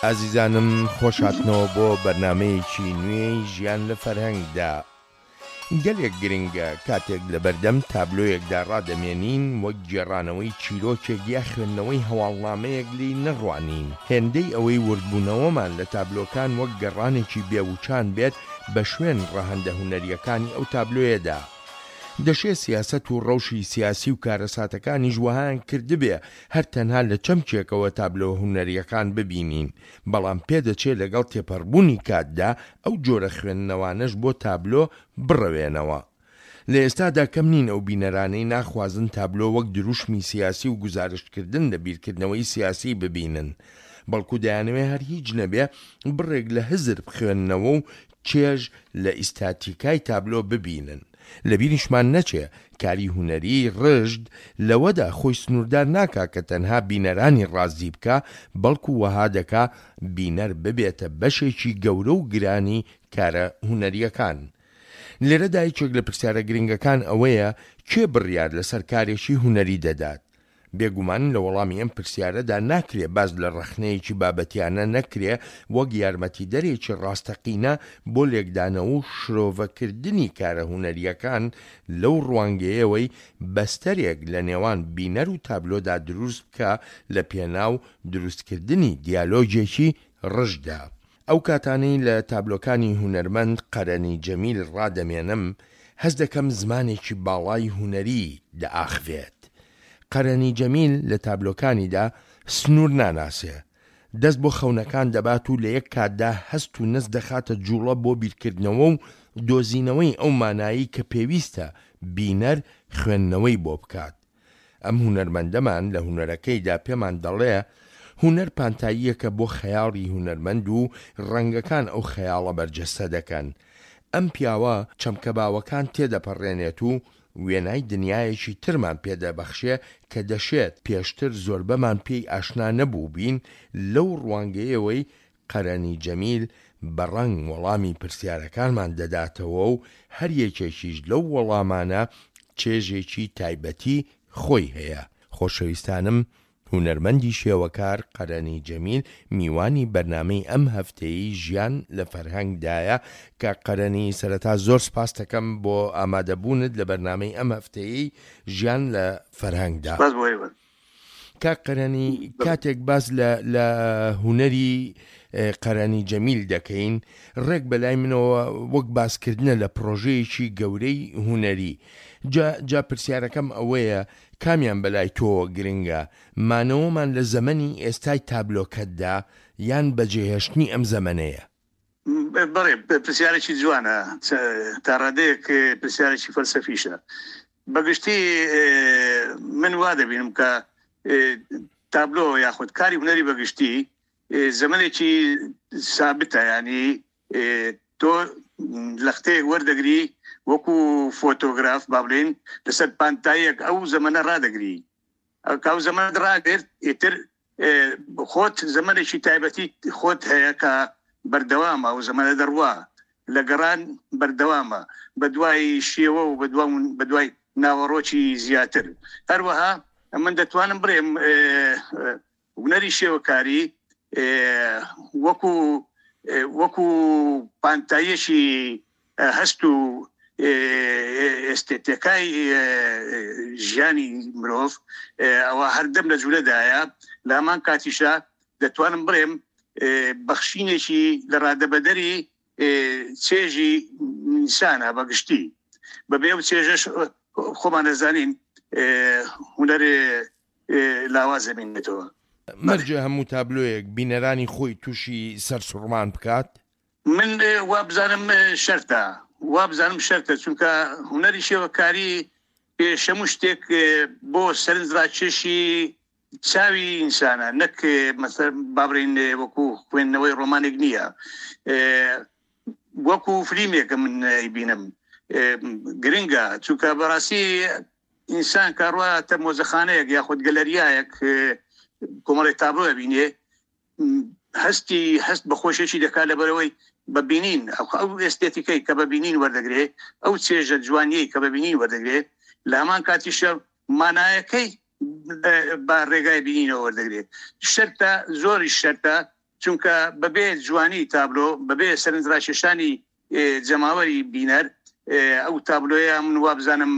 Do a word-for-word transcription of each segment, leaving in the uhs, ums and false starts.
ئازیزانم خۆش هاتنەوە بۆ بەرنامەیەکی نوێی ژیان لە فەرهەنگدا. گەلێک گرنگە کاتێک لەبەردەم تابلۆیەکدا ڕادەمێنین وەک گێڕانەوەی چیرۆکێک یا خوێندنەوەی هەواڵنامەیەک لێی نەڕوانین، هێندەی ئەوەی وردبوونەوەمان لە تابلۆکان وەک گەڕانێکی بێوچان بێت بە شوێن ڕەهەندە هونەرییەکانی ئەو تابلۆیەدا. دەشێ سیاسەت و ڕەوشی سیاسی و کارەساتەکانیش وەهایان کردبێ هەر تەنها لە چەمکێکەوە تابلۆ هونەرییەکان ببینین، بەڵام پێدەچێ لەگەڵ تێپەڕبوونی کاتدا ئەو جۆرە خوێندنەوانەش بۆ تابلۆ بڕەوێنەوە. لە ئێستادا کەم نین ئەو بینەرانەی ناخوازن تابلۆ وەک دروشمی سیاسی و گوزارشتکردن لە بیرکردنەوەی سیاسی ببینن، بەڵکو دەیانەوێ هەر هیچ نەبێ بڕێک لە هزر بخوێننەوە و چێژ لە ئیستاتیکای تابلۆ ببینن. لەبیریشمان نەچێ کاری هونەریی ڕژد لەوەدا خۆی سنووردار ناکا کە تەنها بینەرانی ڕازی بکا، بەڵکو وەها دەکا بینەر ببێتە بەشێکی گەورە و گرانی کارە هونەرییەکان. لێرەدا یەکێک لە پرسیارە گرنگەکان ئەوەیە کێ بڕیار لەسەر کارێکی هونەری دەدات؟ بێگومان لە وەڵامی ئەم پرسیارەدا ناکرێ باس لە ڕەخنەیەکی بابەتیانە نەکرێ وەک یارمەتیدەرێکی ڕاستەقینە بۆ لێکدانەوە و شرۆڤەکردنی کارە هونەرییەکان لەو ڕوانگەیەوەی بەستەرێک لە نێوان بینەر و تابلۆدا دروست بکا لە پێناو دروستکردنی دیالۆگێکی ڕژدا. ئەو کاتانەی لە تابلۆکانی هونەرمەند قەرەنی جەمیل ڕادەمێنم، هەست دەکەم زمانێکی باڵای هونەری دەئاخڤێت. قەرەنی جەمیل لە تابلۆکانیدا سنوور ناناسێ، دەست بۆ خەونەکان دەبات و لە یەک کاتدا هەست و نەست دەخاتە جووڵە بۆ بیرکردنەوە و دۆزینەوەی ئەو مانایەی کە پێویستە بینەر خوێندنەوەی بۆ بکات. ئەم هونەرمەندەمان لە هونەرەکەیدا پێمان دەڵێ هونەر پانتاییەکە بۆ خەیاڵی هونەرمەند و ڕەنگەکان ئەو خەیاڵە بەرجەستە دەکەن. ئەم پیاوە چەمکە باوەکان تێدەپەڕێنێت و وێنای دنیایەکی ترمان پێ دەبەخشێ کە دەشێت پێشتر زۆربەمان پێی ئاشنا نەبووبین، لەو ڕوانگەیەوەی قەرەنی جەمیل بە ڕەنگ وەڵامی پرسیارەکانمان دەداتەوە و هەر یەکێکیش لەو وەڵامانە چێژێکی تایبەتی خۆی هەیە. خۆشەویستانم هونەرمەندی شێوەکار قەرەنی جەمیل میوانی بەرنامەی ئەم هەفتەیەی ژیان لە فەرهەنگ دایە. کاک قەرەنی سەرەتا زۆر سپاستەکەم بۆ ئامادەبوونت لە بەرنامەی ئەم هەفتەیەی ژیان لە فەرهەنگدا. سپاس بۆ ئێوە. کاک قەرەنی کاتێک باس لە لە هونەری قەرەنی جەمیل دەکەین ڕێک بەلای منەوە وەک باسکردنە لە پرۆژەیەکی گەورەی هونەری، جا جا پرسیارەکەم ئەوەیە کامیان بەلای تۆوە گرنگە، مانەوەمان لە زەمەنی ئێستای تابلۆکەتدا یان بەجێهێشتنی ئەم زەمەنەیە؟ بەڵێ، پرسیارێکی جوانە، تا ڕادەیەک پرسیارێکی فەلسەفیشە. بەگشتی من وا دەبینم کە تابلۆ یاخود کاری هونەری بەگشتی زەمنێکی سابتە، ینی تۆ لەختەیەک وەردەگری وەکو فۆتۆگراف با بڵێین لەسەر پانتاییەک ئەو زەمەنە ڕادەگری، ئەو زەمەنە ڕاگرت ئیتر خۆت زەمەنێکی تایبەتی خۆت هەیە کە بەردەوامە، ئەو زەمەنە دەڕوا لە گەڕان بەردەوامە بە دوای شێوە و بە دوای ناوەڕۆکی زیاتر. هەروەها من دەتوانم بڵێم هونەری شێوەکاری وەکو وەکو پانتاییەکی هەست و ئێستێتیکای ژیانی مرۆڤ ئەوە هەردەم لە جوولەدایە. لە هەمان کاتیشا دەتوانم بڵێم بەخشینێکی لە ڕادەبەدەری چێژی ئینسانە بەگشتی. بەبێ ئەو چێژەش خۆمان دەزانین هونەر لاواز دەبینێتەوە. مەرجە هەموو تابلۆیەک بینەرانی خۆی تووشی سەرسوڕمان بکات؟ من وابزانم شەرتە، وابزانم شەرتە، چونکە هونەری شێوەکاری پێشەموو شتێک بۆ سەرنجڕاکێشی چاوی ئینسانە، نەک مەسەر با بڵێین وەکو خوێندنەوەی ڕۆمانێک نییە، وەکو فلیمێکە من ئەیبینم گرنگە، چونکە بەڕاستی ئینسان کە ڕواتە مۆزەخانەیەک یاخود گەلەریایەک کۆمەڵێک تابلۆ ئەبینێ هەستی هەست بە خۆشیەکی دەکات لەبەرەوەی بەبینین ئەو ئێستێتیکەی کە بەبینین وەردەگرێ، ئەو چێژە جوانیەی کە بەبینین وەردەگرێ، لە هەمان کاتیشە مانایەکەی بە ڕێگای بینینەوە وەردەگرێ. شەرتە، زۆریش شەرتە، چونکە بەبێ جوانی تابلۆ، بەبێ سەرنجڕاکێشانی جەماوەری بینەر، ئەو تابلۆیە من وابزانم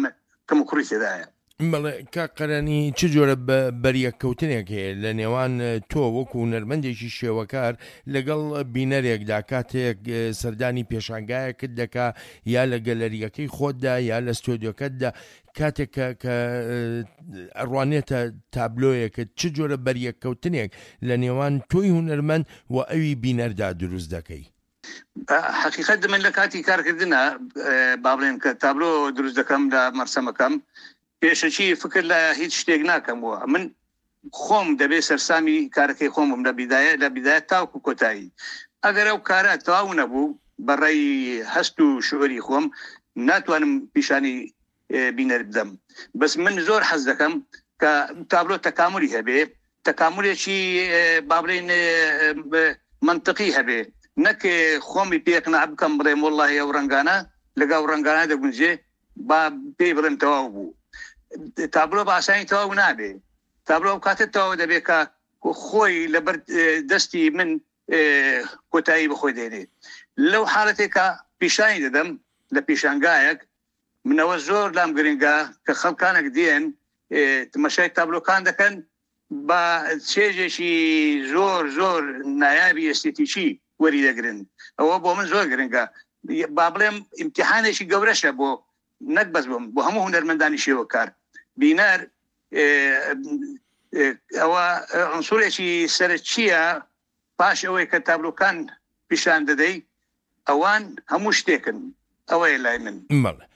کەم و کوڕی تێدایە. بەڵێ کاک قەرەنی، چ جۆرە بەریەککەوتنێک هەیە لە نێوان تۆ وەکو هونەرمەندێکی شێوەکار لەگەڵ بینەرێکدا کاتێک سەردانی پێشانگایەکت دەکا یا لە گەلەریەکەی خۆتدا یا لە ستۆدیۆکەتدا، کاتێک کە کە ئەڕوانێتە تابلۆیەکت، چ جۆرە بەریەککەوتنێک لە نێوان تۆی هونەرمەند و ئەوی بینەردا دروست دەکەی؟ حقیقت من لە کاتی کارکردنە با بڵێن کە تابلۆ دروست دەکەم لە مەرسەمەکەم، پێشەکی فکر لە هیچ شتێک ناکەمەوە. من خۆم دەبێ سەرسامی کارەکەی خۆم بم لە بیدایە لە بیدایە تاوکو کۆتایی. ئەگەر ئەو کارە تەواو نەبوو بەڕێی هەست و شعوری خۆم ناتوانم پیشانی بینەر بدەم. بەس من زۆر حەز دەکەم کە تابلۆ تەکاملی هەبێ، تەکاملێکی با بڵێین منطقی هەبێ، نەک خۆمی پێقناع بکەم بڵێم وەڵڵاهی ئەو ڕەنگانە لەگەڵ ڕەنگانە دەگونجێ با پێی بڵێم تەواو بوو. تابلۆ بە ئاسانی تەواو نابێ. تابلۆ ئەو کاتە تەواو دەبێت کە خۆی لەبەر دەستی من کۆتایی بەخۆی دێنێ. لەو حاڵەتێکە پیشانی دەدەم لە پیشانگایەک، منەوە زۆر لام گرنگە کە خەڵکانێک دێن تەماشای تابلۆکان دەکەن بە چێژێکی زۆر زۆر نایابی ئێستێتیکی وەری دەگرن. ئەوە بۆ من زۆر گرنگە. با بڵێم ئیمتیحانێکی گەورەشە بۆ نەک بەس بۆم، بۆ هەموو هونەرمەندانی شێوەکار. بینەر ئەوە عنسورێکی سەرەکییە. پاش ئەوەی کە تابلۆکان پیشان دەدەی، ئەوان هەموو شتێکن. ئەوەیە لای من. بەڵێ.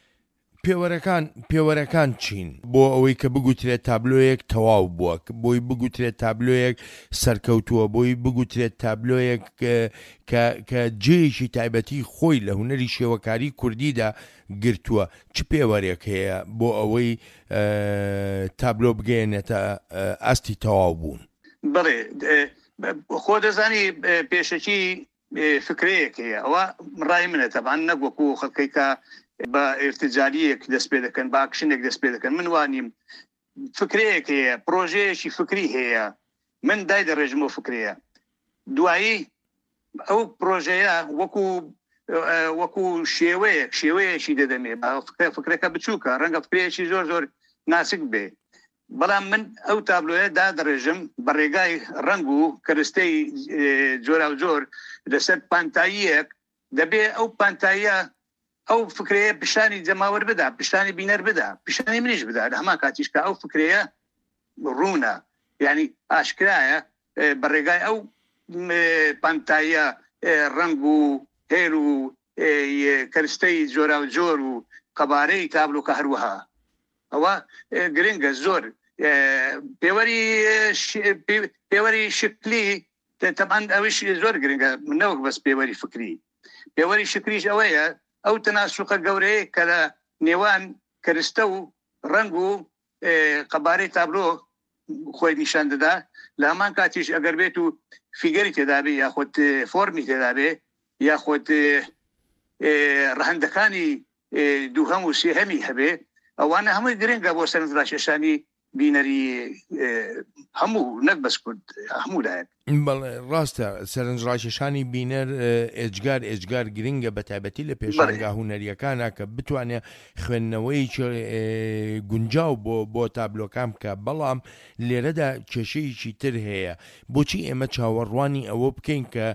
پێوەرەکان پێوەرەکان چین بۆ ئەوەی کە بگوترێت تابلۆیەک تەواو بووە، بۆی بگوترێت تابلۆیەک سەرکەوتووە، بۆی بگوترێت تابلۆیەک کە کە جێیەکی تایبەتی خۆی لە هونەری شێوەکاری کوردیدا گرتووە، چ پێوەرێک هەیە بۆ ئەوەی تابلۆ بگەیەنێتە ئاستی تەواو بوون؟ بەڵێ، خۆ دەزانی پێشەکی فکرەیەک هەیە، ئەوە ڕای منە تەبعەن، نەک وەکو خەڵکەی کە بە ئێرتجالیەک دەست پێ دەکەن، بە ئاکشنێک دەست پێ دەکەن. من وانیم. فکرەیەک هەیە، پرۆژەیەکی فکری هەیە، من دای دەڕێژم ئەو فکرەیە. دوایی ئەو پرۆژەیە وەکو وەکو شێوەیەک شێوەیەکی دەدەمێ. فکرەکە بچووکە، ڕەنگە فکرەیەکی زۆر زۆر ناسک بێ، بەڵام من ئەو تابلۆیە دادەڕێژم بە ڕێگای ڕەنگ و کەرستەی جۆراوجۆر لەسەر پانتاییەک. دەبێ ئەو پانتاییە ئەو فکرەیە پیشانی جەماوەر بدا، پیشانی بینەر بدا، پیشانی منیش بدا. لە هەمان کاتیش کە ئەو فکرەیە ڕوونە، یعنی ئاشکرایە، بە ڕێگای ئەو پانتاییە ڕەنگ و هێل و کەرستەی جۆراوجۆر و قەبارەی تابلۆکە هەروەها. ئەوە گرنگە زۆر. پێوەری پێوەری شکلی تەبعەن ئەویش زۆر گرنگە، نەوەک بەس پێوەری فکری. پێوەری شکلیش ئەوەیە ئەو تەناسوقە گەورەیە کە لە نێوان کەرستە و ڕەنگ و قەبارەی تابلۆ خۆی نیشان دەدا. لە هەمان کاتیش ئەگەر بێت و فیگەری تێدابێ یاخود فۆرمی تێدابێ یاخود ڕەهەندەکانی دووهەم و سێهەمی هەبێ، ئەوانە هەمووی گرنگە بۆ سەرنجڕاکێشانی بینەری هەموو، نەک بەس کورد، هەموو لایەک. بەڵێ ڕاستە، سەرنجڕاکێشانی بینەر ئێجگار ئێجگار گرنگە، بە تایبەتی لە پێشانگا هونەریەکانە کە بتوانێت خوێندنەوەیەکی گونجاو بۆ بۆ تابلۆکان بکە. بەڵام لێرەدا کێشەیەکی تر هەیە. بۆچی ئێمە چاوەڕوانی ئەوە بکەین کە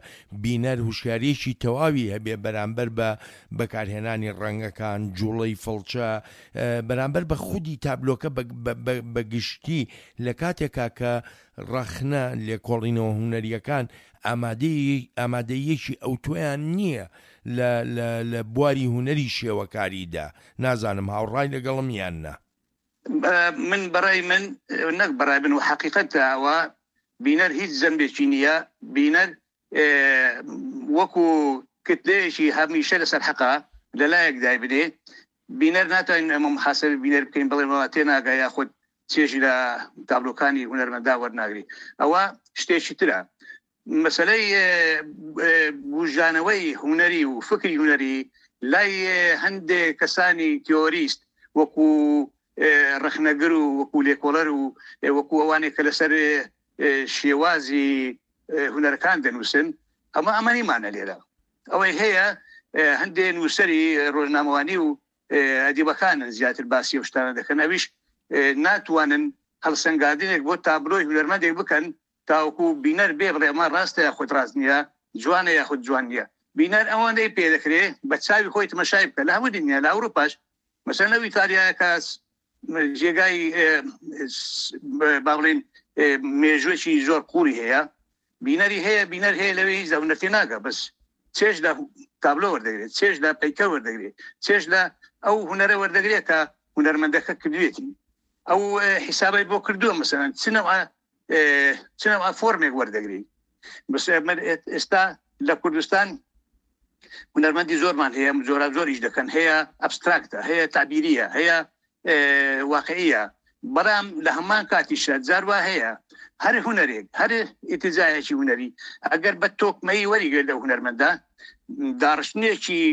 بینەر هوشیاریەکی تەواوی هەبێ بەرامبەر بە بەکارهێنانی ڕەنگەکان، جوڵەی فڵچە، بەرامبەر بە خودی تابلۆکە بە گشتی، لە کاتێکا کە ڕەخنە لێکۆڵینەوە هونەریەکان ئامادەیەکی ئەوتۆیان نییە لە بواری هونەری شێوەکاریدا؟ نازانم هاوڕای لەگەڵم یان نا. من بەڕای من، نەک بەڕای من و حەقیقەتە ئەوە بینەر هیچ زەنبێکی نییە. بینەر وەکو کتلەیەکی هەمیشە لەسەر حەقا لەلایەک دای بدێ. بینەر ناتوانین ئەمە محاسبە بینەر بکەین بڵێن وڵا تێناگا یاخود چێژی لە تابلۆکانی هونەرمەندا وەرناگری. ئەوە شتێکی ترە. مەسەلەی بوژانەوەی هونەری و فکری هونەری لای هەندێک کەسانی تیۆریست وەکو ڕەخنەگر و وەکو لێکۆڵەر و وەکو ئەوانێک کە لەسەر شێوازی هونەرەکان دەنووسن. ئەمە ئەمە نیمانە لێرە. ئەوەی هەیە هەندێ نووسەری ڕۆژنامەوانی و ئەدیبەکانن زیاتر باسی ئەو شتانە دەکەن، ئەویش ناتوانن هەڵسەنگاندنێک بۆ تابلۆی هونەرمەندێک بکەن تاوەکو بینەر بێ بڵێ ئەمە ڕاستە یاخود ڕاست نییە، جوانە یاخود جوان نییە. بینەر ئەوەندەی پێ دەکرێ بە چاوی خۆی تەماشای بکە. لە هەموو دنیا، لە ئەوروپاش مەسەلەن لەو ئیتالیایە کە جێگای با بڵێین مێژوویەکی زۆر قوڵی هەیە، بینەری هەیە، بینەر هەیە لەوێ هیچ لە هونەر تێناگە، بەس چێژ لە تابلۆ وەردەگرێت، چێژ لە پەیکەر وەردەگرێت، چێژ لە ئەو هونەرە وەردەگرێت کە هونەرمەندەکە کردوێتی، ئەو حیسابەی بۆ کردووە. مەسەلەن چ نەوع چ نەوع فۆرمێک وەردەگری. بەس ئێستا لە کوردستان هونەرمەندی زۆرمان هەیە، زۆرا زۆریش دەکەن، هەیە ئەبستراکتە، هەیە تعبیریە، هەیە واقعیە، بەڵام لە هەمان کاتیشە جاروا هەیە هەر هونەرێک، هەر ئیتیجاهێکی هونەری ئەگەر بە تۆکمەی وەریگرێت لەو هونەرمەندە، داڕشتنێکی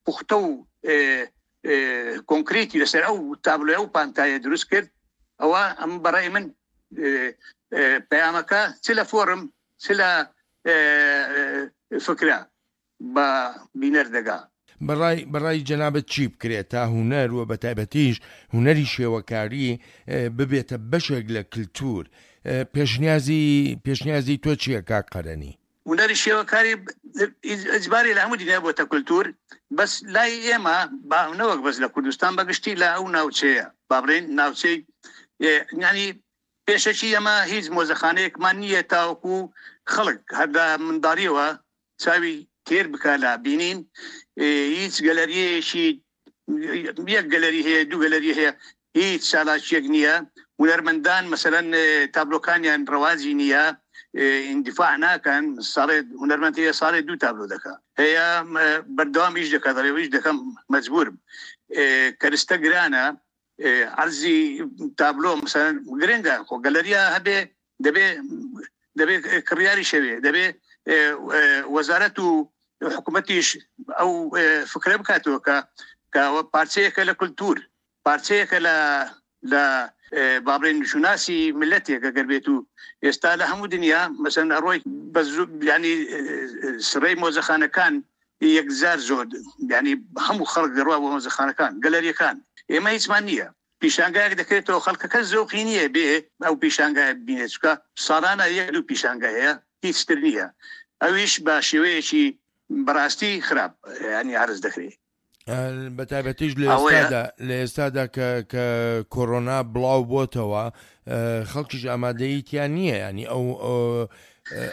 پوختە و کۆنکرێتی لەسەر ئەو تابلۆ ئەو پانتایە دروست کرد، ئەوە ئەم بەڕای من پەیامەکە چ لە فۆرم چ لە فکرە بە بینەر دەگا. بەڕای بەڕای جەنابەت چی بکرێت تا هونەر و بە تایبەتیش هونەری شێوەکاری ببێتە بەشێک لە کللتور؟ پێشنیازی پێشنیازی تۆ چییە کاک قەرەنی؟ هونەری شێوەکاری ئیجباری لە هەموو دنیا بۆتە کللتور، بەس لای ئێمە با نەوەک بەس لە کوردستان، بەگشتی لە ئەو ناوچەیە، با بڵێین ناوچەی یعنی پێشەکی ئەمە هیچ مۆزەخانەیەکمان نییە تاوەکو خەڵک هەر لە منداڵیەوە چاوی تێر بکە لە بینین. هیچ گەلەریەکی، یەک گەلەری هەیە، دوو گەلەری هەیە، هیچ چالاکیەک نییە. هونەرمەندان مەسەلەن تابلۆکانیان ڕەواجی نییە، ئیندیفاع ناکەن. ساڵێ هونەرمەند هەیە ساڵێ دوو تابلۆ دەکا، هەیە بەردەوام ئیش دەکات، دەڵێ ئیش دەکەم مەجبورم، کەرستە گرانە، عەرزی تابلۆ مەسەلەن گرنگە. خۆ گەلەریا هەبێ دەبێ دەبێ کڕیاری شەوێ، دەبێ وەزارەت و حکوومەتیش ئەو فکرە بکاتەوە کە کە پارچەیەکە لە کولتور، پارچەیەکە لە لە با بڵێن شوناسی ملەتێک ئەگەر بێت و ئێستا لە هەموو دنیا مەسەلەن ئەڕۆی ینی سڕەی مۆزەخانەکان یەکجار زۆر، ینی هەموو خەڵک دەڕوا بۆ مۆزەخانەکان، گەلەریەکان. ئێمە هیچمان نییە. پیشانگایەک دەکرێتەوە خەڵکەکە زۆقی نییە بێ ئەو پیشانگایە بینێت، چونکە ساڵانە یەک دوو پیشانگا هەیە، هیچ تر نییە. ئەویش بە شێوەیەکی بەڕاستی خراپ ینی عرض دەکرێت. بە تایبەتیش لە ئێستادا لە ئێستادا کە کە کۆرۆنا بڵاو بۆتەوە خەڵکیش ئامادەیی تیان نییە، ینی ئەو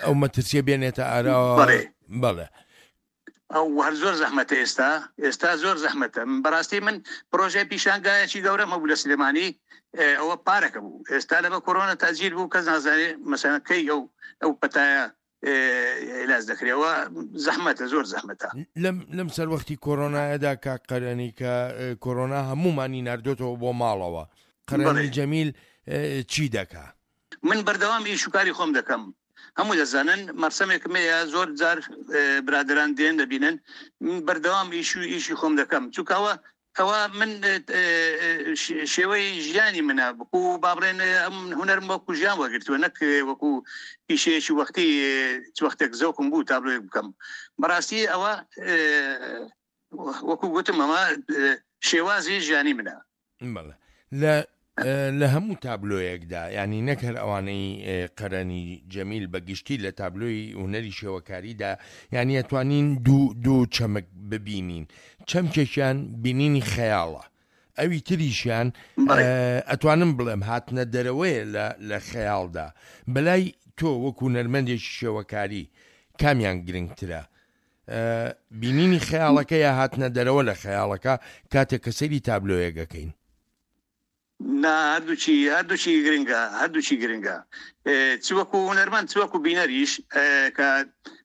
ئەو مەترسیە بێنێتە ئاراوە. بەڵێ ئەو هەر زۆر زەحمەتە ئێستا، ئێستا زۆر زەحمەتە. بەڕاستی من پرۆژەی پیشانگایەکی گەورەم هەبوو لە سلێمانی، ئەوە پارەکە بوو، ئێستا لەبە کۆرۆنا تاجیر بوو، کەس نازانێ مەسەلەن کەی ئەو ئەو پەتایە علاج دەکرێەوە. زەحمەتە، زۆر زەحمەتە. لەم لەم سەروەختی کۆرۆنایەدا کاک قەرەنی کە کۆرۆنا هەمومانی ناردۆتەوە بۆ ماڵەوە، قەرەنی جەمیل چی دەکا؟ من بەردەوام ئیش و کاری خۆم دەکەم. هەموو دەزانن مەرسەمێکم هەیە، زۆر جار برادران دێن دەبینن، من بەردەوام ئیش و ئیشی خۆم دەکەم، چونکەوە ئەوە من شێوەی ژیانی منە، وەکو با بڵێن ئەم هونەرم وەکو ژیان وەگرتووە، نەک وەکو پیشەیەکی وەختی چ وەختێک زەوقم بوو تابلۆیەک بکەم. بەڕاستی ئەوە وەکو گوتم ئەمە شێوازی ژیانی منە. بەڵێ لە لە هەموو تابلۆیەکدا، ینی نەک هەر ئەوانەی قەرەنی جەمیل، بە گشتی لە تابلۆی هونەری شێوەکاریدا، یعنی ئەتوانین دوو دوو چەمک ببینین. چەمکێکیان بینینی خەیاڵە، ئەوی تریشیان ئەتوانم بڵێم هاتنە دەرەوەیە لە خەیاڵدا. بەلای تۆ وەکو نەرمەندێکی شێوەکاری کامیان گرنگترە؟ بینینی خەیاڵەکە یا هاتنە دەرەوە لە خەیاڵەکە کاتێک کە سەیری تابلۆیەکەکەین؟ نا، هەردووچی هەردووچی گرنگە، هەردووچی گرنگە، چ وەکو هونەرمەند چ وەکو بینەریش. کە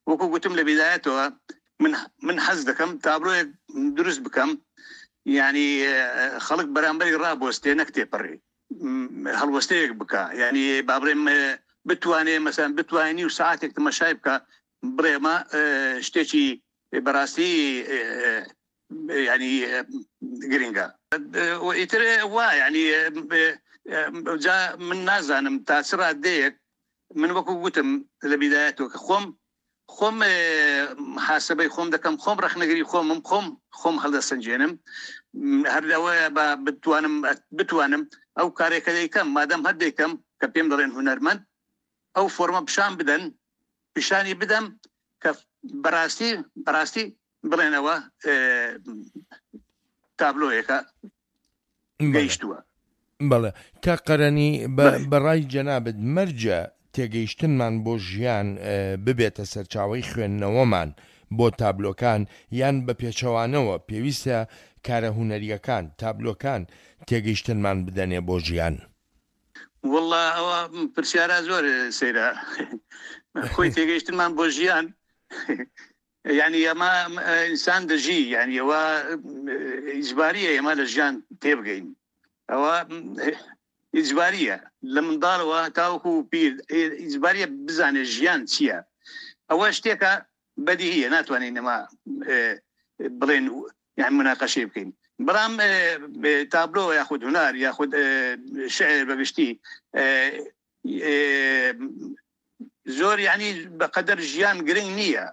وەکو گوتم لە بیدایەتەوە من من حەز دەکەم تابلۆیەک دروست بکەم، یعنی خەڵک بەرامبەری ڕابۆستێ نەک تێپەڕی، هەڵوەستەیەک بکە، یعنی با بڵێم بتوانێ مەسەلەن بتوانێ و ساعتێک تەماشای بکە، بڵێمە شتێکی بەڕاستی یعنی گرنگە. ئیتر وا یعنی جا من نازانم تا چ ڕادەیەک من وەکو گوتم لە بیدایەتەوە کە خۆم خۆم محاسبەی خۆم دەکەم، خۆم ڕەخنەگری خۆمم، خۆم خۆم هەڵدەسەنجێنم. هەر لەوەیە بە بتوانم بتوانم ئەو کارێکە دەیکەم، مادەم هەر دەیکەم کە پێم دەڵێن هونەرمەند، ئەو فۆرمە پیشان بدەن، پیشانی بدەم کە بەڕاستی بەڕاستی بڵێنەوە تابلۆیەکە گەیشتووە. بەڵێ کاک قەرەنی، بەڕای جەنابت مەرجە تێگەیشتنمان بۆ ژیان ببێتە سەرچاوەی خوێندنەوەمان بۆ تابلۆکان، یان بە پێچەوانەوە پێویستە کارە هونەریەکان، تابلۆکان تێگەیشتنمان بدەنێ بۆ ژیان؟ والله ئەوە پرسیارە زۆر سەیرە. خۆی تێگەیشتنمان بۆ ژیان یعنی ئەمە ئینسان دەژی، یعنی ئەوە ئیجباریە ئێمە لە ژیان تێبگەین، ئەوە ئیجباریە لە منداڵەوە تاوەکو پیر ئیجباریە بزانێت ژیان چییە. ئەوە شتێکە بەدیهیە، ناتوانین ئەمە بڵێن یان مناقەشەی بکەین. بەڵام تابلۆ یاخود هونەر یاخود شعر بەگشتی زۆر یعنی بەقەدەر ژیان گرنگ نییە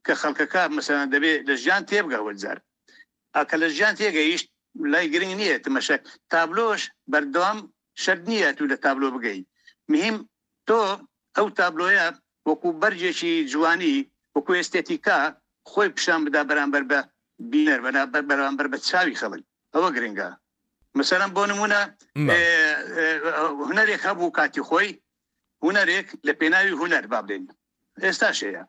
کە خەڵکەکە مەسەلەن دەبێت لە ژیان تێبگە. وەجار ئەکە لە ژیان تێگەیشت لای گرنگ نییە تەماشا تابلۆش بەردەوام شەرت نییە تو لە تابلۆ بگەی. مهم تۆ ئەو تابلۆیە وەکو بەرجێکی جوانی وەکو ئێستێتیکا خۆی پیشان بدا بەرامبەر بە بینەر، بەرامبەر بە چاوی خەڵک، ئەوە گرنگە. مەسەلەن بۆ نمونە هونەرێک هەبوو کاتی خۆی، هونەرێک لە پێناوی هونەر با بڵێین ئێستاش هەیە.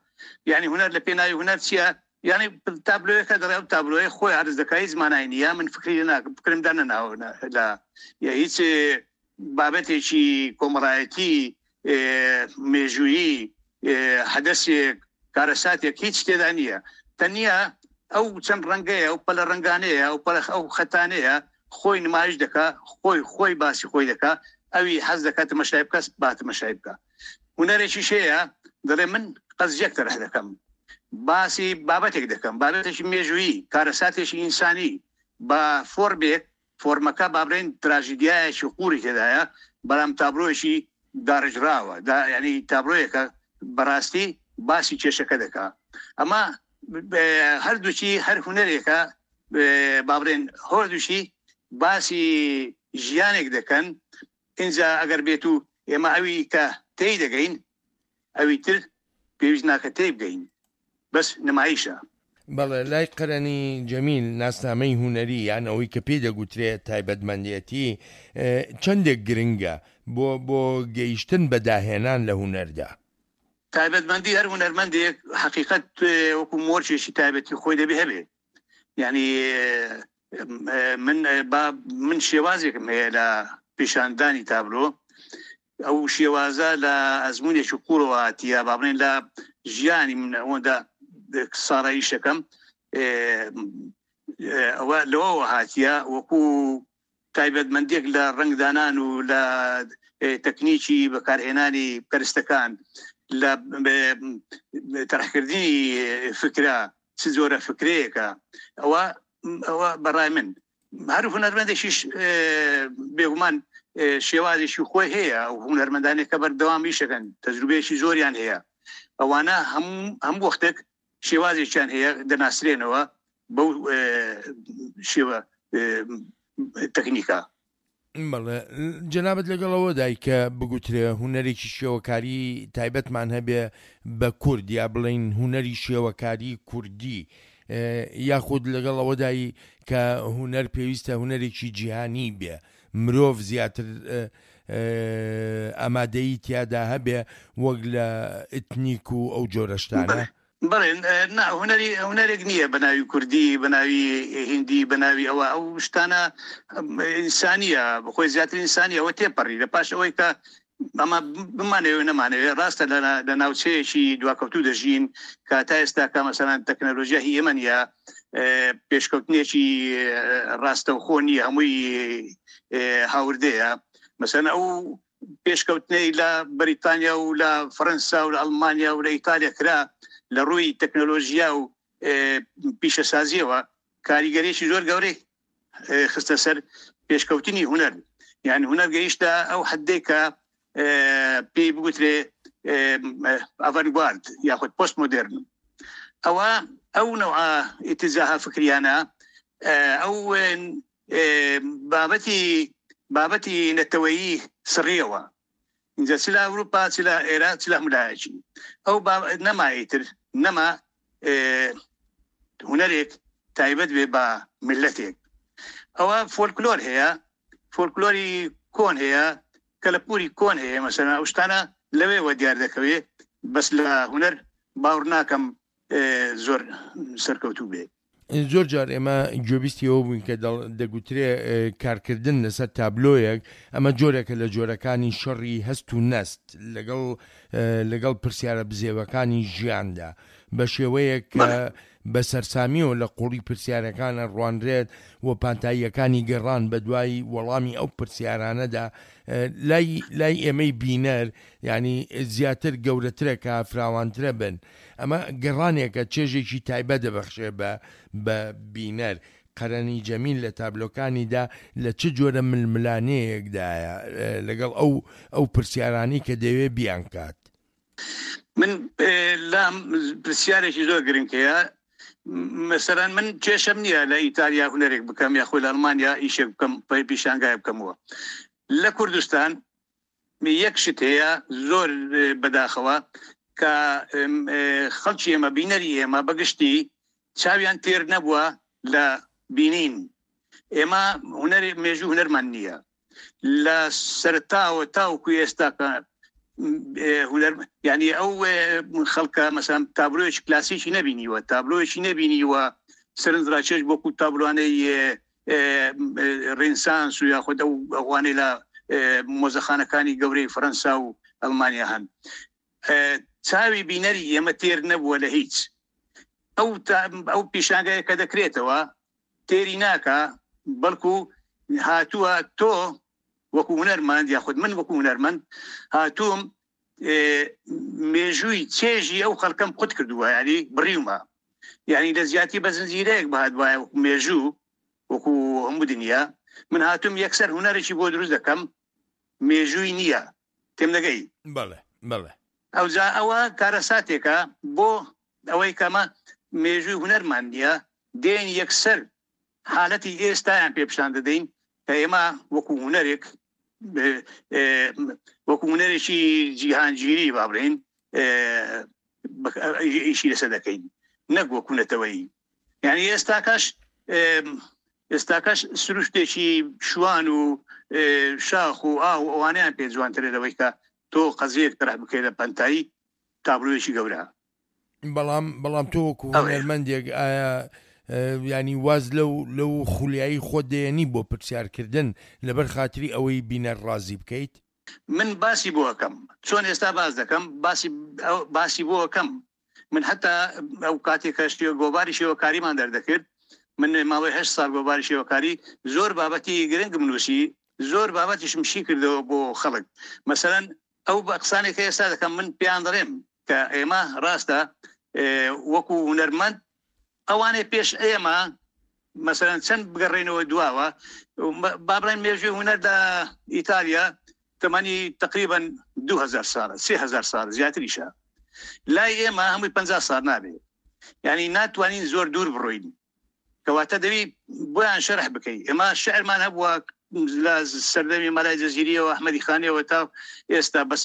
یعنی هونەر لە پێناوی هونەر چییە؟ یعنی تابلۆیەکە دەڵێ ئەو تابلۆیە خۆی عەرز دەکا، هیچ مانای نییە، من فکری ناکەم، فکرم دانەناوە لە هیچ بابەتێکی کۆمەڵایەتی مێژوویی حەدەسێک کارەساتێک هیچ تێدا نییە. تەنیا ئەو چەند ڕەنگەیە، ئەو پەلە ڕەنگانەیە، ئەو پەلە ئەو خەتانەیە خۆی نمایش دەکا، خۆی خۆی باسی خۆی دەکا، ئەوی حەز دەکات تەماشای بکە با تەماشای بکە. هونەرێکیش هەیە دەڵێ من قەزیەک تەرح دەکەم، باسی بابەتێک دەکەم، بابەتێکی مێژوویی، کارەساتێکی ئینسانی بە فۆرمێک، فۆرمەکە با بڵێین تراژیدیایەکی قووڵی تێدایە، بەڵام تابلۆیەکی داڕژراوە، یعنی تابلۆیەکە بەڕاستی باسی کێشەکە دەکا. ئەمە هەردووکی هەر هونەرێکە با بڵێن هەردووکی باسی ژیانێک دەکەن. ئینجا ئەگەر بێت و ئێمە ئەوی کە تێی دەگەین ئەوی تر پێویست ناکە تێی بگەین، بەس نمایشە. بەڵێ لای قەرەنی جەمیل ناسنامەی هونەری یان ئەوەی کە پێی دەگوترێت تایبەتمەندێتی چەندێک گرنگە بۆ بۆ گەیشتن بە داهێنان لە هونەردا؟ تایبەتمەندی هەر هونەرمەندێک حقیقەت وەکو مۆرچێکی تایبەتی خۆی دەبێ هەبێ. یعنی من با من شێوازێکم هەیە لە پیشاندانی تابلۆ، ئەو شێوازە لە ئەزمونێکی قوڵەوە هاتیە، با بڵێن لە ژیانی من ئەوەندە ساڕاییشەکەم ئەوە لەوەوە هاتیە وەکو تایبەتمەندێک لە ڕەنگدانان و لە تەکنیکی بەکارهێنانی کەرستەکان، لە تەرحکردنی فکرە، چ جۆرە فکرەیەکە. ئەوە ئەوە بەڕای من هەر هونەرمەندێکیش بێگومان شێوازێکی خۆی هەیە. ئەو هونەرمەندانێک کە بەردەوام ئیشەکەن تەجروبەیەکی زۆریان هەیە، ئەوانە هەموو وەختێک شێوازێکیان هەیە دەناسرێنەوە بەو شێوە تەکنیکە. بەڵێ جەنابت لەگەڵەوە دای کە بگوترێ هونەرێکی شێوەکاری تایبەتمان هەبێ بە کورد، یا بڵین هونەری شێوەکاری کوردی، یاخود لەگەڵ ئەوەدای کە هونەر پێویستە هونەرێکی جیهانی بێ، مرۆڤ زیاتر ئامادەیی تیادا هەبێ وەک لە ئتنیک و ئەو جۆرە شتانە؟ بەڵێ نا، هونەری هونەرێک نییە بە ناوی کوردی، بە ناوی هیندی، بە ناوی ئەوە، ئەو شتانە ئینسانیە، بەخۆی زیاتر ئینسانیە. ئەوە تێپەڕی لە پاش ئەوەی کە ئەمە بمانەوێ نەمانەوێ، ڕاستە لە ناوچەیەکی دواکەوتوو دەژین کە تا ئێستا کە مەسەلەن تەکنەلۆژیا هی ئێمە نییە، پێشکەوتنێکی ڕاستەوخۆ نییە، هەمووی هاوردەیە. مەسەلەن ئەو پێشکەوتنەی لە بەریتانیا و لە فەرەنسا و لە ئەڵمانیا و لە ئیتالیا کرا لە ڕووی تەکنەلۆژیا و پیشەسازیەوە کاریگەریی زۆر گەورەی خستە سەر پێشکەوتنی هونەر. یعنی هونەر گەیشتە ئەو حدێک کە پێی بگوترێ ئاڤانگارد یاخود پۆست مۆدێرن. ئەوە ئەو نەوعە ئیتیجاهە فکریانە ئەو بابەتی بابەتی نەتەوەیی سڕیەوە، اینجا چ لە ئەوروپا چ لە ئێران چ لە هەموو ئەو نەما ئیتر نەما هونەرێک تایبەت بێ بە میللەتێک. ئەوە فۆلکلۆر هەیە، فۆلکلۆری کۆن هەیە، کەلەپوری کۆن هەیە، مەسەلەن ئەو شتانە لەوێوە دیار دەکەوێ، بەس لە هونەر باوەڕ ناکەم زۆر سەرکەوتوو بێ. زۆر جار ئێمە گوێبیستی ئەوە بووین کە دەگوترێ کارکردن لەسەر تابلۆیەک ئەمە جۆرێکە لە جۆرەکانی شەڕی هەست و نەست لەگەڵ لەگەڵ پرسیارە بزێوەکانی ژیاندا بە شێوەیەک کە بە سەرسامیەوە لە قوڵی پرسیارەکانە ڕوانرێت و پانتاییەکانی گەڕان بە دوای وەڵامی ئەو پرسیارانەدا لای لای ئێمەی بینەر ینی زیاتر گەورەترە کە فراوانترە بن. ئەمە گەڕانێکە چێژێکی تایبەت دەبەخشێ بە بە بینەر. قەرەنی جەمیل لە تابلۆکانیدا لە چ جۆرە ململانەیەکدایە لەگەڵ ئەو ئەو پرسیارانی کە دەوێ بیانکات؟ من لام پرسیارێکی زۆر گرنگ هەیە. مەسەلەن من کێشەم نییە لە ئیتالیا هونەرێک بکەم یاخۆ لە ئەڵمانیا ئیشێک بکەم، پیشانگای بکەمەوە. لە کوردستان یەک شت هەیە زۆر بەداخەوە کە خەڵکی ئێمە بینەری ئێمە بەگشتی چاویان تێر نەبووە لە بینین. ئێمە هونەر مێژوو هونەرمان نییە لە سەرتاوە تاوەکو ئێستاکە هونەر، یعنی ئەو خەڵکە مەسەلەن تابلۆیەکی کلاسیکی نەبینیوە، تابلۆیەکی نەبینیوە سەرنجڕاکێش وەکو تابلۆانەی ڕێنسانس و یاخود ئەو ئەوانەی لە مۆزەخانەکانی گەورەی فەرەنسا و ئەڵمانیا هەن. چاوی بینەری ئێمە تێر نەبووە لە هیچ. ئەو ئەو پیشانگایە کە دەکرێتەوە تێری ناکە، بەڵکو هاتووە تۆ وەکو هونەرمەند یاخود من وەکو هونەرمەند هاتووم مێژووی چێژی ئەو خەڵکەم قوت کردووە، یعنی بڕیومە، یعنی لە زیاتی بە زنجیرەیەک بهات وایە وەکو مێژوو وەکو هەموو دنیا، من هاتووم یەکسەر هونەرێکی بۆ دروست دەکەم مێژووی نییە. تێم دەگەی؟ بەڵێ بەڵێ. ئەوجا ئەوە کارەساتێکە بۆ ئەوەی کەمە مێژووی هونەرمان نییە، دێن یەکسەر حالەتی ئێستایان پێ پیشان دەدەین کە ئێمە وەکو هونەرێک وەکو هونەرێکی جیهانگیری با بڵێین ئیشی لەسەر دەکەین نەک وەکو نەتەوەیی. یعنی ئێستاکەش ئێستاکەش سروشتێکی شوان و شاخ و ئاو ئەوانەیان پێ جوانترە لەوەی کە تۆ قەزیەک تەرح بکەی لە پەنتایی تابلۆیەکی گەورە. بەڵام بەڵام تۆ وەکو هونەرمەندێک ئایا ینی واز لەو لەو خولیایی خۆت دێنی بۆ پرسیارکردن لەبەر خاتری ئەوەی بینەر ڕازی بکەیت؟ من باسی بۆ ئەەکەم، چۆن ئێستا باس دەکەم باسی باسی بۆ ئەەکەم. من حتا ئەو کاتێک کە گۆباری شێوەکاریمان دەردەکرد، من ماوەی هەشت ساڵ گۆباری شێوەکاری زۆر بابەتی گرنگم نووسی، زۆر بابەتیشم شی کردەوە بۆ خەڵک. مەسەلەن ئەو بە قسانێک کە ئێستا دەکەم من پێیان دەڵێم کە ئێمە ڕاستە وەکو هونەرمەند ئەوانەی پێش ئێمە مەسەلەن چەند بگەڕێنەوە دواوە، با بڵێن مێژووی هونەردا ئیتالیا تەمەنی تقریبا دوو هەزار ساڵە، سێ هەزار ساڵ زیاتریشە. لای ئێمە هەمووی پەنجا ساڵ نابێ، یعنی ناتوانین زۆر دوور بڕۆین. کەواتە دەبی بۆیان شەرح بکەی. ئێمە شعرمان هەبووە لە سەردەمی مەلای جەزیریەوە ئەحمەدی خانیەوە تا ئێستا، بەس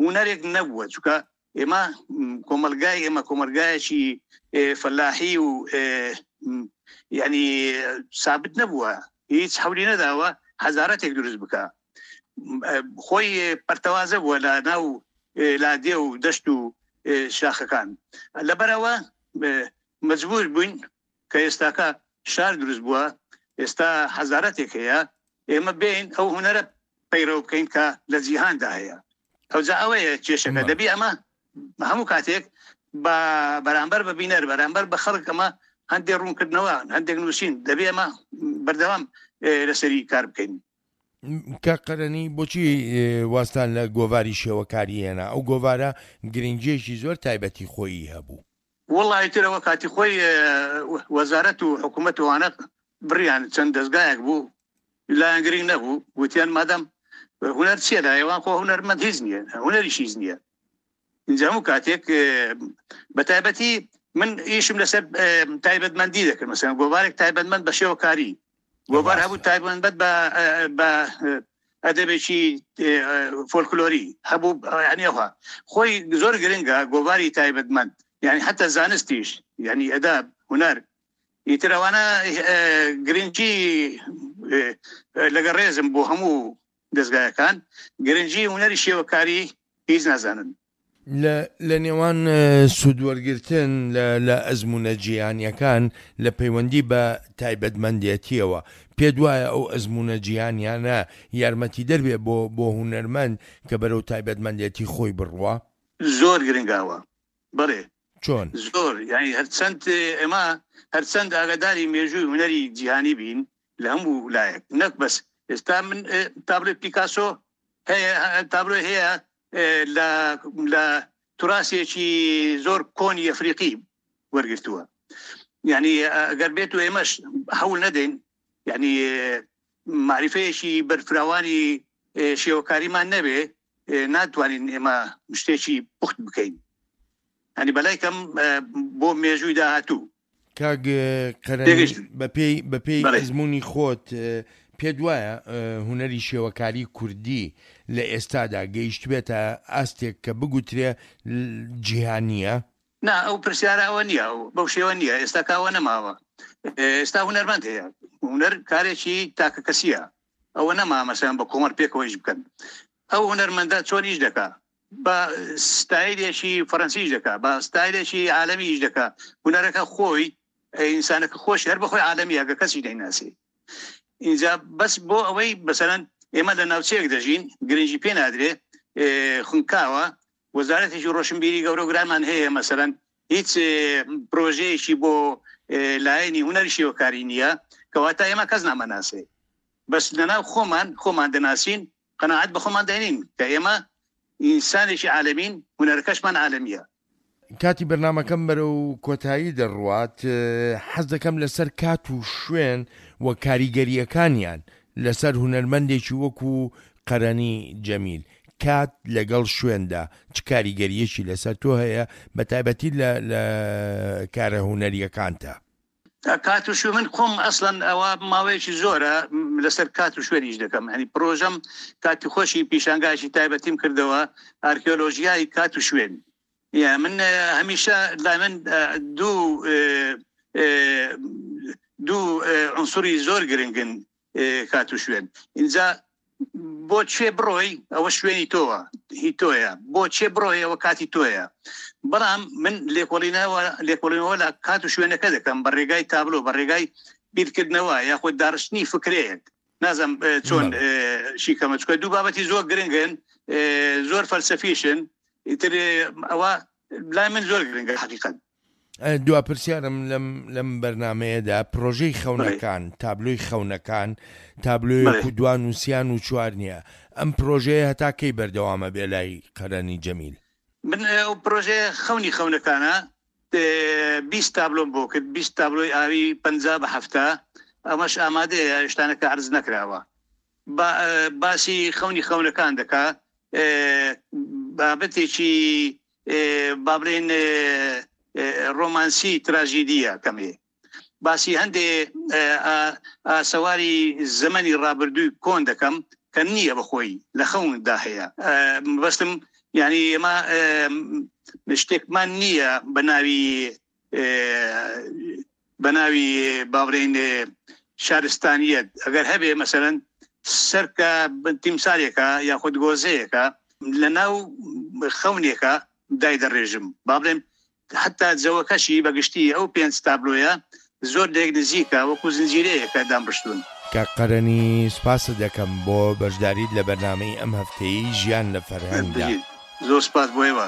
هونەرێک نەبووە، چونکە ئێمە کۆمەلگای ئێمە کۆمەلگایەکی فەلاحی و یعنی سابت نەبووە، هیچ حەولی نەداوە هەزارەتێک دروست بکە. خۆی پەرتەوازە بووە لە ناو لادێ و دەشت و شاخەکان. لەبەرەوە مەجبور بووین کە ئێستاکە شار دروست بووە، ئێستا هەزارەتێک هەیە، ئێمە بین ئەو هونەرە پەیڕەو بکەین کە لە جیهاندا هەیە. ئەوجا ئەوەیە کێشەکە. دەبی ئەمە هەموو کاتێک بە بەرامبەر بە بینەر، بەرامبەر بە خەڵک ئەمە هەندێک ڕوونکردنەوە، هەندێک نووسین، دەبێ ئەمە بەردەوام لەسەری کار بکەین. کاک قەرەنی بۆچی واستان لە گۆڤاری شێوەکاری هێنا؟ ئەو گۆڤارە گرنگیەکی زۆر تایبەتی خۆیی هەبوو. وەڵی ترەوە کاتی خۆی وەزارەت و حکوومەت وانە بڕیان چەند دەستگایەک بوو لایەن گرنگ نەبوو، وتیان مادەم هونەر چییە لای ئەوان؟ خۆ هونەرمەند هیچ نییە، هونەریش هیچ نییە. اینجا هەموو کاتێک بە تایبەتی من ئیشم لەسەر تایبەتمەندی دەکرد، مەسەلەن گۆڤارێک تایبەتمەند بە شێوەکاری، گۆڤار هەبوو تایبەتمەند بە بە ئەدەبێکی فۆلکلۆری هەبوو، یعنی ئەوها خۆی زۆر گرنگە گۆڤاری تایبەتمەند، یعنی حتی زانستیش، یعنی ئەداب هونەر ئیتر ئەوانە گرنگی لەگەڵ ڕێزم بۆ هەموو دەستگایەکان گرنگی هونەری شێوەکاری هیچ نازانن. لە نێوان سوودوەرگرتن لە ئەزمونە جیهانیەکان لە پەیوەندی بە تایبەتمەندێتیەوە، پێ دوایە ئەو ئەزمونە جیهانیانە یارمەتی دەربێ بۆ بۆ هونەرمەند کە بەرەو تایبەتمەندێتی خۆی بڕوا؟ زۆر گرنگاوە. بەڵێ چۆن؟ زۆر، یعنی هەرچەند ئێمە هەرچەند ئاگاداری مێژووی هونەری جیهانی بین لە هەموو لایەک، نەک بەس ئێستا من تابلۆی پیکاسۆ هەیە، تابلۆی هەیە لە لە توراسێکی زۆر کۆنی ئەفریقی وەرگرتووە. یعنی ئەگەر بێت و ئێمەش هەوڵ نەدەین، یعنی معرفەیەکی بەرفراوانی شێوەکاریمان نەبێ، ناتوانین ئێمە شتێکی پوخت بکەین. یعنی بەلای کەم بۆ مێژووی داهاتوو. کاک قەرەنی، بەپێی بەپێی ئەزمموی خۆت پێ دوایە هونەری شێوەکاری کوردی لە ئێستادا گەیشت بێتە ئاستێک کە بگوترێ جیهانیە؟ نا، ئەو پرسیارە ئەوە نییە، بەو شێوە نییە. ئێستا کاوە نەماوە. ئێستا هونەرمەند هەیە، هونەر کارێکی تاکە کەسیە، ئەوە نەما مەسەلەن بە کۆمەڵ پێکەوە ئیش بکەن. ئەو هونەرمەندە چۆن ئیش دەکا؟ بە ستایلێکی فەرەنسیش دەکا، بە ستایلێکی عالەمی ئیش دەکا. هونەرەکە خۆی ئینسانەکە خۆشی هەر بەخۆی عالەمیە کە کەسی دەیناسی. اینجا بەس بۆ ئەوەی مەسەلەن ئێمە لە ناوچەیەک دەژین گرنگی پێ نادرێ، خونکاوە، وەزارەتێکی ڕۆشنبیری گەورە و گرانمان هەیە، مەسەلەن هیچ پرۆژەیەکی بۆ لایەنی هونەری شێوەکاری نییە، کەواتە ئێمە کەس نامەناسێ. بەس لەناو خۆمان خۆمان دەناسین، قەناعەت بە خۆمان دەێنین کە ئێمە ئینسانێکی عالەمین، هونەرەکەشمان عالەمیە. کاتی بەرنامەکەم بەرەو کۆتایی دەڕوات، حەز دەکەم لەسەر کات و شوێن و کاریگەریەکانیان لەسەر هونەرمەندێکی وەکو قەرەنی جەمیل، کات لەگەڵ شوێندا چ کاریگەریەکی لەسەر تۆ هەیە بە تایبەتی لە کارە هونەریەکانتا؟ کات و شوێن من خۆم ئەسڵەن ئەوە ماوەیەکی زۆرە لەسەر کات و شوێنیش دەکەم. ینی پرۆژەم کاتی خۆشی پیشانگایکی تایبەتیم کردەوە، ئارکیۆلۆژیای کات و شوێن. یا من هەمیشە لای من دوو دوو عنصری زۆر گرنگن کات و شوێن. اینجا بۆ چێ بڕۆی ئەوە شوێنی تۆوە، هی تۆیە، بۆ چێ بڕۆی ئەوە کاتی تۆیە. بەڵام من لێکۆڵینەوە لێکۆڵینەوە لە کات و شوێنەکە دەکەم بە ڕێگای تابلۆ، بە ڕێگای بیرکردنەوە یاخود داڕشتنی فکرەیەک. نازم چۆن شیکەمە، چونکە دوو بابەتی زۆر گرنگن، زۆر فەلسەفیشن، ئیتر ئەوە لای من زۆر گرنگە حەقیقەت. دوا پرسیارم لەم لەم بەرنمەیەدا پرۆژەی خەونەکان، تابلۆی خەونەکان، تابلۆیەک و دوان و سیان و چوار نییە، ئەم پرۆژەیە هەتا کەی بەردەوامە بێ لای قەرەنی جەمیل؟ من ئەو پرۆژەیە خەونی خەونەکانە بیست تابلۆم بۆ کرد، بیست تابلۆی ئاوی پەنجا بە هەفتە، ئەمەش ئامادەیە، شتانەکە عەرز نەکراوە. باسی خەونی خەونەکان دەکا، بابەتێکی با بڵێن ڕۆمانسی تراژیدیە کەمێ، باسی هەندێ ئاسەواری زەمەنی ڕابردووی کۆن دەکەم کە نییە بەخۆی لە خەوندا هەیە. بەستم یعنی ئێمە شتێکمان نییە بە ناوی بە ناوی با بڵێین شارستانیەت. ئەگەر هەبێ مەسەلەن سەرکە تیمسارێکە یاخود گۆزەیەکە لە ناو خەونێکە دای دەڕێژم، با بڵێم حتا جەوەکەشی بەگشتی ئەو پێنج تابلۆیە زۆر لێک نزیکە، وەکو زنجیرەیەکە دامڕشتون. کاک قەرەنی سوپاست دەکەم بۆ بەشداریت لە بەرنامەی ئەم هەفتەیەی ژیان لە فەرهەنگدا. زۆر سوپاس بۆ ئێوە.